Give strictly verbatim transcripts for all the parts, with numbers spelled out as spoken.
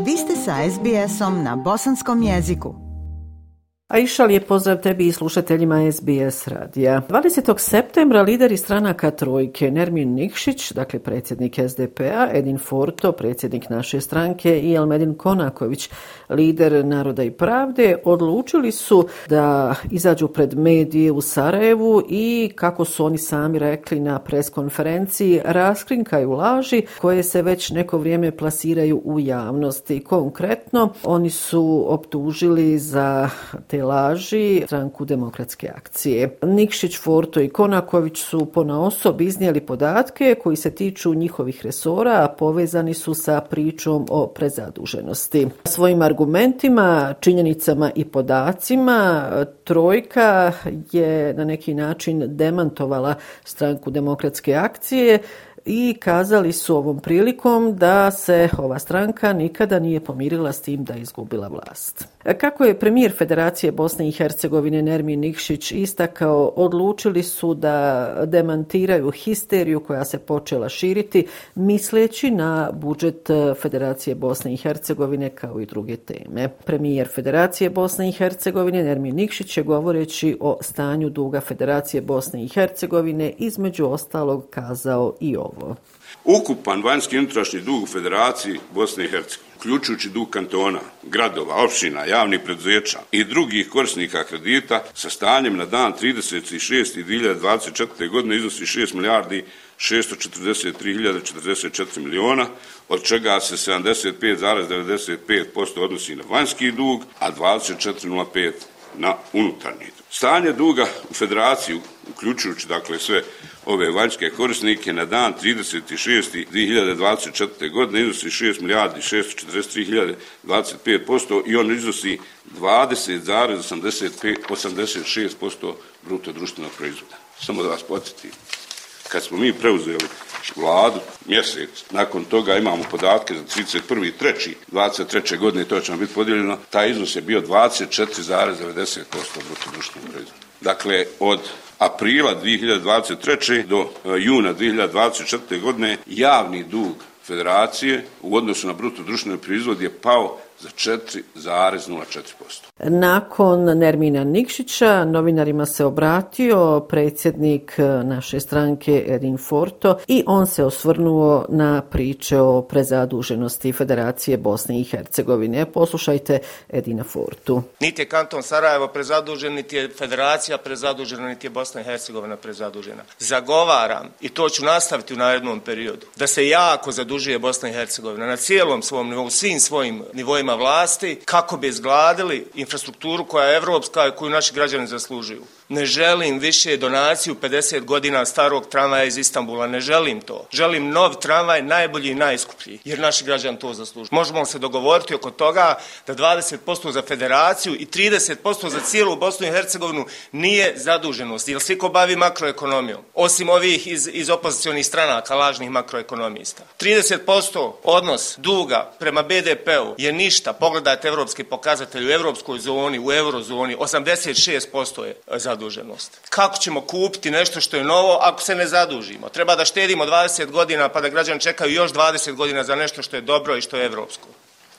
Vi ste sa es be esom na bosanskom jeziku. Aisha, lijep pozdrav tebi i slušateljima es be es radija. dvadesetog septembra lideri stranaka Trojke Nermin Nikšić, dakle predsjednik es de pe a, Edin Forto, predsjednik naše stranke i Elmedin Konaković, lider Naroda i pravde, odlučili su da izađu pred medije u Sarajevu i, kako su oni sami rekli na preskonferenciji, raskrinkaju laži koje se već neko vrijeme plasiraju u javnosti. Konkretno, oni su optužili za te laži stranku Demokratske akcije. Nikšić, Forto i Konaković su ponaosob iznijeli podatke koji se tiču njihovih resora, a povezani su sa pričom o prezaduženosti. Svojim argumentima, činjenicama i podacima Trojka je na neki način demantovala stranku Demokratske akcije i kazali su ovom prilikom da se ova stranka nikada nije pomirila s tim da je izgubila vlast. Kako je premijer Federacije Bosne i Hercegovine Nermin Nikšić istakao, odlučili su da demantiraju histeriju koja se počela širiti misleći na budžet Federacije Bosne i Hercegovine kao i druge teme. Premijer Federacije Bosne i Hercegovine Nermin Nikšić je, govoreći o stanju duga Federacije Bosne i Hercegovine, između ostalog kazao i ovo. Ukupan vanjski i unutrašnji dug u Federaciji Bosne i Hercegovine, uključujući dug kantona, gradova, općina, javnih preduzeća i drugih korisnika kredita, sa stanjem na dan trideset šesti dvije hiljade dvadeset četvrte. godine iznosi šest milijardi šesto četrdeset tri hiljade četrdeset četiri miliona, od čega se sedamdeset pet zarez devedeset pet posto odnosi na vanjski dug, a dvadeset četiri zarez nula pet na unutarnji dug. Stanje duga u Federaciji, uključujući dakle sve ove vanjske korisnike, na dan trideset šesti dvije hiljade dvadeset četvrte. godine iznosi šest milijardi šesto četrdeset tri hiljade dvadeset pet posto i on iznosi dvadeset zarez osamdeset šest posto bruto društvenog proizvoda. Samo da vas podsjetim, kad smo mi preuzeli vladu, mjesec nakon toga imamo podatke za trideset prvi treći dvadeset treće. godine, to će nam biti podijeljeno, taj iznos je bio dvadeset četiri zarez devedeset posto bruto društvenog proizvoda. Dakle, od aprila dvije hiljade dvadeset treće. do juna dvije hiljade dvadeset četvrte. godine javni dug Federacije u odnosu na bruto društveni proizvod je pao za četiri zarez nula četiri posto. Nakon Nermina Nikšića novinarima se obratio predsjednik naše stranke Edin Forto i on se osvrnuo na priče o prezaduženosti Federacije Bosne i Hercegovine. Poslušajte Edina Fortu. Niti je kanton Sarajevo prezadužen, niti je Federacija prezadužena, niti je Bosna i Hercegovina prezadužena. Zagovaram, i to ću nastaviti u narednom periodu, da se jako zadužuje Bosna i Hercegovina na cijelom svom nivou, svim svojim nivoima vlasti, kako bi izgradili infrastrukturu koja je evropska i koju naši građani zaslužuju. Ne želim više donaciju pedeset godina starog tramvaja iz Istanbula, ne želim to. Želim nov tramvaj, najbolji i najskuplji, jer naši građani to zaslužuju. Možemo se dogovoriti oko toga da dvadeset posto za Federaciju i trideset posto za cijelu Bosnu i Hercegovinu nije zaduženost, jer svi ko bavi makroekonomijom, osim ovih iz, iz opozicionih stranaka, lažnih makroekonomista. trideset posto odnos duga prema be de pe u je ništa. Pogledajte evropske pokazatelje u evropskoj zoni, u eurozoni, osamdeset šest posto je zaduženost. Zaduženost. Kako ćemo kupiti nešto što je novo ako se ne zadužimo? Treba da štedimo dvadeset godina pa da građani čekaju još dvadeset godina za nešto što je dobro i što je evropsko.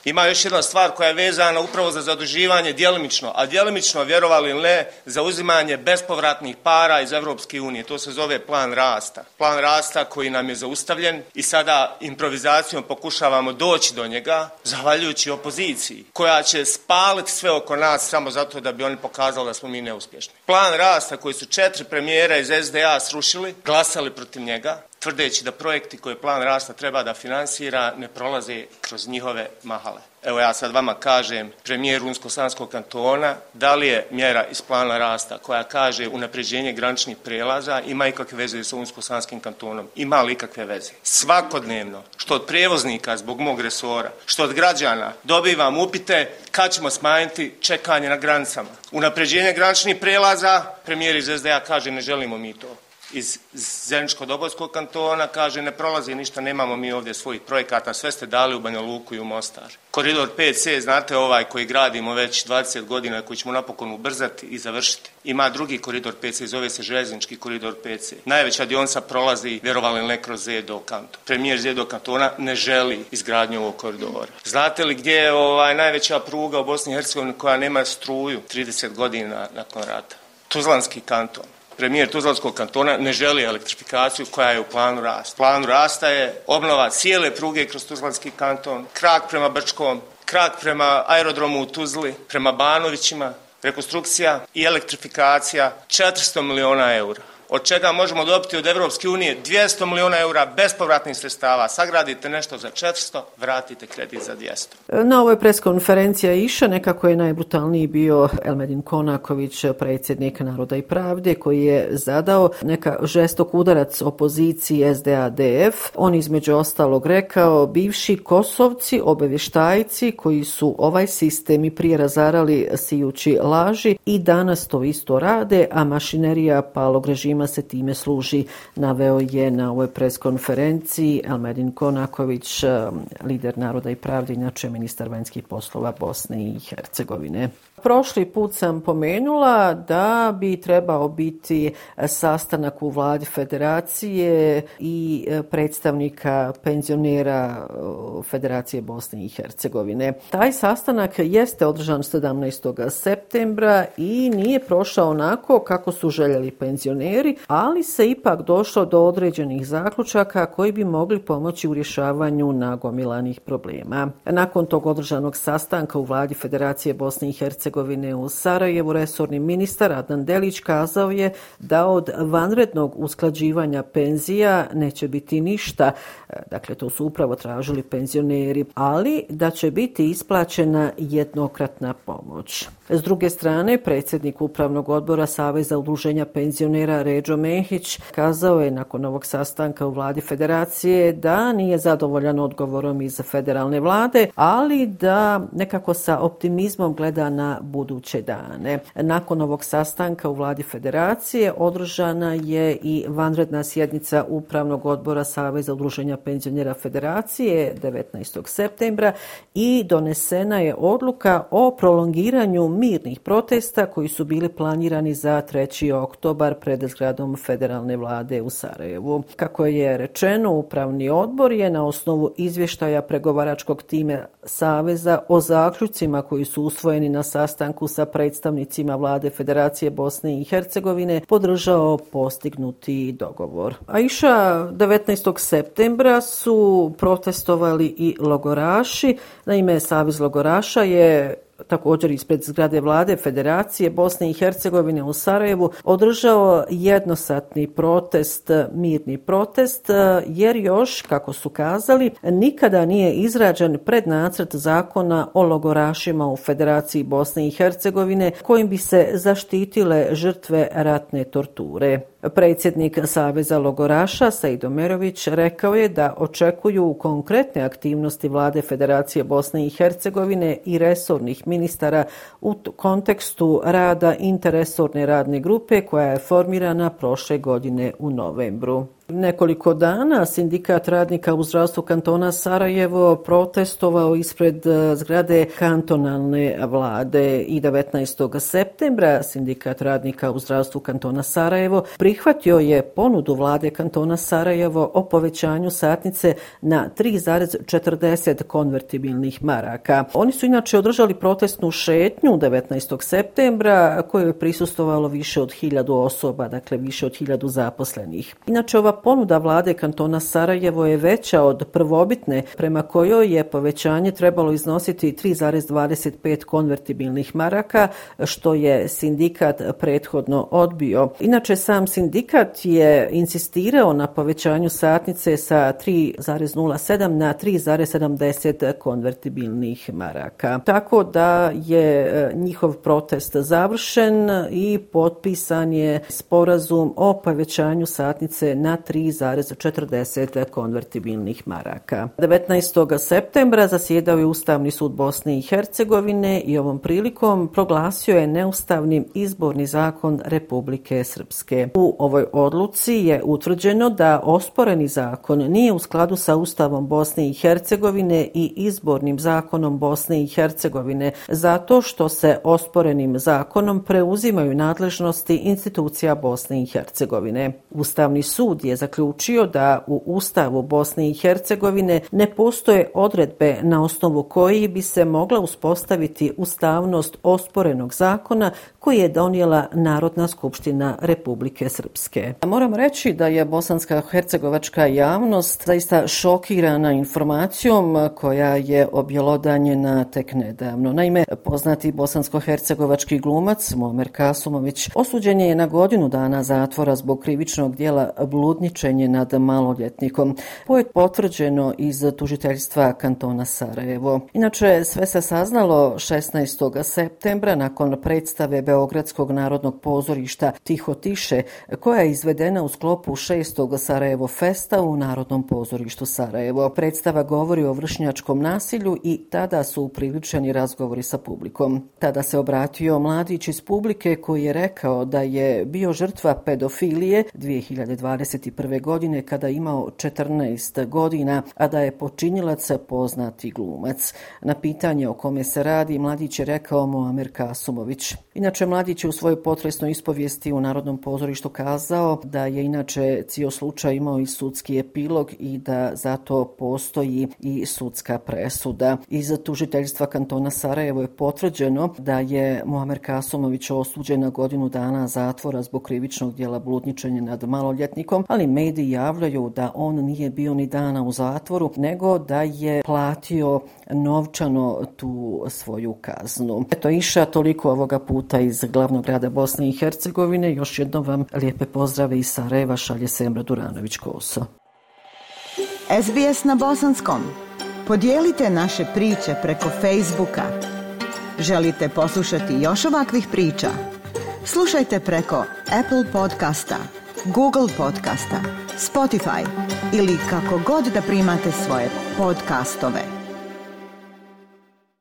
Ima još jedna stvar koja je vezana upravo za zaduživanje djelimično, a djelimično, vjerovali ili ne, za uzimanje bespovratnih para iz Evropske unije. To se zove plan rasta. Plan rasta koji nam je zaustavljen i sada improvizacijom pokušavamo doći do njega, zahvaljujući opoziciji, koja će spaliti sve oko nas samo zato da bi oni pokazali da smo mi neuspješni. Plan rasta koji su četiri premijera iz es de a srušili, glasali protiv njega, tvrdeći da projekti koje plan rasta treba da finansira ne prolaze kroz njihove mahale. Evo ja sad vama kažem, premijer Unsko-Sanskog kantona, da li je mjera iz plana rasta koja kaže unapređenje graničnih prijelaza ima ikakve veze sa Unsko-Sanskim kantonom? Ima li ikakve veze? Svakodnevno, što od prijevoznika zbog mog resora, što od građana, dobivam upite kad ćemo smanjiti čekanje na granicama. Unapređenje graničnih prijelaza, premijer iz es de a kaže ne želimo mi to. iz Zeničko-Dobojskog kantona, kaže ne prolazi ništa, nemamo mi ovdje svojih projekata, sve ste dali u Banja Luku i u Mostar. Koridor pet C, znate ovaj koji gradimo već dvadeset godina, koji ćemo napokon ubrzati i završiti. Ima drugi koridor pet C, zove se željeznički koridor pet C. Najveća dionica prolazi, vjerovali ili ne, kroz Zedo kanton. Premijer Zedo kantona ne želi izgradnju ovog koridora. Znate li gdje je ovaj najveća pruga u Bosni i Hercegovini koja nema struju trideset godina nakon rata? Tuzlanski kanton. Premijer Tuzlanskog kantona ne želi elektrifikaciju koja je u planu rasta. U planu rasta je obnova cijele pruge kroz Tuzlanski kanton, krak prema Brčkom, krak prema aerodromu u Tuzli, prema Banovićima, rekonstrukcija i elektrifikacija četiristo miliona eura. Od čega možemo dobiti od Evropske unije dvjesto miliona eura bespovratnih sredstava. Sagradite nešto za četiristo, vratite kredit za dvjesto. Na ovoj preskonferenciji Aisha nekako je najbrutalniji bio Elmedin Konaković, predsjednik Naroda i pravde, koji je zadao neka žestok udarac opoziciji S D A D F. On između ostalog rekao, bivši Kosovci, obavještajci koji su ovaj sistem i prije razarali sijući laži i danas to isto rade, a mašinerija palog režima se time služi, naveo je na ovoj preskonferenciji Elmedin Konaković, lider Naroda i pravde, inače ministar vanjskih poslova Bosne i Hercegovine. Prošli put sam pomenula da bi trebao biti sastanak u vladi federacije i predstavnika penzionera Federacije Bosne i Hercegovine. Taj sastanak jeste održan sedamnaestog septembra i nije prošao onako kako su željeli penzioneri, ali se ipak došlo do određenih zaključaka koji bi mogli pomoći u rješavanju nagomilanih problema. Nakon tog održanog sastanka u vladi Federacije Bosne i Hercegovine u Sarajevu, resorni ministar Adnan Delić kazao je da od vanrednog usklađivanja penzija neće biti ništa. Dakle, to su upravo tražili penzioneri, ali da će biti isplaćena jednokratna pomoć. S druge strane, predsjednik Upravnog odbora Saveza udruženja penzionera Redžo Mehić kazao je nakon ovog sastanka u vladi Federacije da nije zadovoljan odgovorom iz federalne vlade, ali da nekako sa optimizmom gleda na buduće dane. Nakon ovog sastanka u vladi Federacije održana je i vanredna sjednica Upravnog odbora Saveza udruženja penzionera Federacije devetnaestog septembra i donesena je odluka o prolongiranju mirnih protesta koji su bili planirani za treći oktobar pred zgradom federalne vlade u Sarajevu. Kako je rečeno, Upravni odbor je na osnovu izvještaja pregovaračkog tima Saveza o zaključcima koji su usvojeni na sastanku sa predstavnicima vlade Federacije Bosne i Hercegovine podržao postignuti dogovor. Aisha, devetnaestog septembra su protestovali i logoraši. Naime, Savez logoraša je također ispred zgrade vlade Federacije Bosne i Hercegovine u Sarajevu održao jednosatni protest, mirni protest, jer još, kako su kazali, nikada nije izrađen prednacrt zakona o logorašima u Federaciji Bosne i Hercegovine kojim bi se zaštitile žrtve ratne torture. Predsjednik Saveza logoraša Sejdo Merović rekao je da očekuju konkretne aktivnosti vlade Federacije Bosne i Hercegovine i resornih ministara u kontekstu rada interresorne radne grupe koja je formirana prošle godine u novembru. Nekoliko dana sindikat radnika u zdravstvu kantona Sarajevo protestovao ispred zgrade kantonalne vlade i devetnaestog septembra sindikat radnika u zdravstvu kantona Sarajevo prihvatio je ponudu vlade kantona Sarajevo o povećanju satnice na tri zarez četrdeset konvertibilnih maraka. Oni su inače održali protestnu šetnju devetnaestog septembra kojoj je prisustvovalo više od hiljadu osoba, dakle više od hiljadu zaposlenih. Inače, ova ponuda vlade kantona Sarajevo je veća od prvobitne, prema kojoj je povećanje trebalo iznositi tri zarez dvadeset pet konvertibilnih maraka, što je sindikat prethodno odbio. Inače, sam sindikat je insistirao na povećanju satnice sa tri zarez nula sedam na tri zarez sedamdeset konvertibilnih maraka. Tako da je njihov protest završen i potpisan je sporazum o povećanju satnice na tri zarez četrdeset konvertibilnih maraka. devetnaestog septembra zasjedao je Ustavni sud Bosne i Hercegovine i ovom prilikom proglasio je neustavnim izborni zakon Republike Srpske. U ovoj odluci je utvrđeno da osporeni zakon nije u skladu sa Ustavom Bosne i Hercegovine i izbornim zakonom Bosne i Hercegovine zato što se osporenim zakonom preuzimaju nadležnosti institucija Bosne i Hercegovine. Ustavni sud je zaključio da u Ustavu Bosne i Hercegovine ne postoje odredbe na osnovu koji bi se mogla uspostaviti ustavnost osporenog zakona koji je donijela Narodna skupština Republike Srpske. Moram reći da je bosanska hercegovačka javnost zaista šokirana informacijom koja je objelodanjena tek nedavno. Naime, poznati bosansko-hercegovački glumac Muamer Kasumović osuđen je na godinu dana zatvora zbog krivičnog djela bludničenje nad maloljetnikom. To je potvrđeno iz tužiteljstva kantona Sarajevo. Inače, sve se saznalo šesnaestog septembra nakon predstave Beogradskog narodnog pozorišta Tiho tiše, koja je izvedena u sklopu šestog Sarajevo Festa u Narodnom pozorištu Sarajevo. Predstava govori o vršnjačkom nasilju i tada su upriličeni razgovori sa publikom. Tada se obratio mladić iz publike koji je rekao da je bio žrtva pedofilije dvije hiljade dvadeset prve. godine kada je imao četrnaest godina, a da je počinilac poznati glumac. Na pitanje o kome se radi, mladić je rekao Muamer Kasumović. Inače, mladić je u svojoj potresnoj ispovijesti u Narodnom pozorištu kazao da je inače cijel slučaj imao i sudski epilog i da zato postoji i sudska presuda. Iz tužiteljstva kantona Sarajevo je potvrđeno da je Muamer Kasumović osuđen na godinu dana zatvora zbog krivičnog djela bludničenja nad maloljetnikom, ali mediji javljaju da on nije bio ni dana u zatvoru, nego da je platio novčano tu svoju kaznu. Eto, Iša, toliko ovoga puta iz glavnog grada Bosne i Hercegovine. Još jednom vam lijepe pozdrave iz Sarajeva šalje Semra Duranović-Koso. S B S na bosanskom. Podijelite naše priče preko Facebooka. Želite poslušati još ovakvih priča? Slušajte preko Apple podcasta, Google podcasta, Spotify ili kako god da primate svoje podcastove.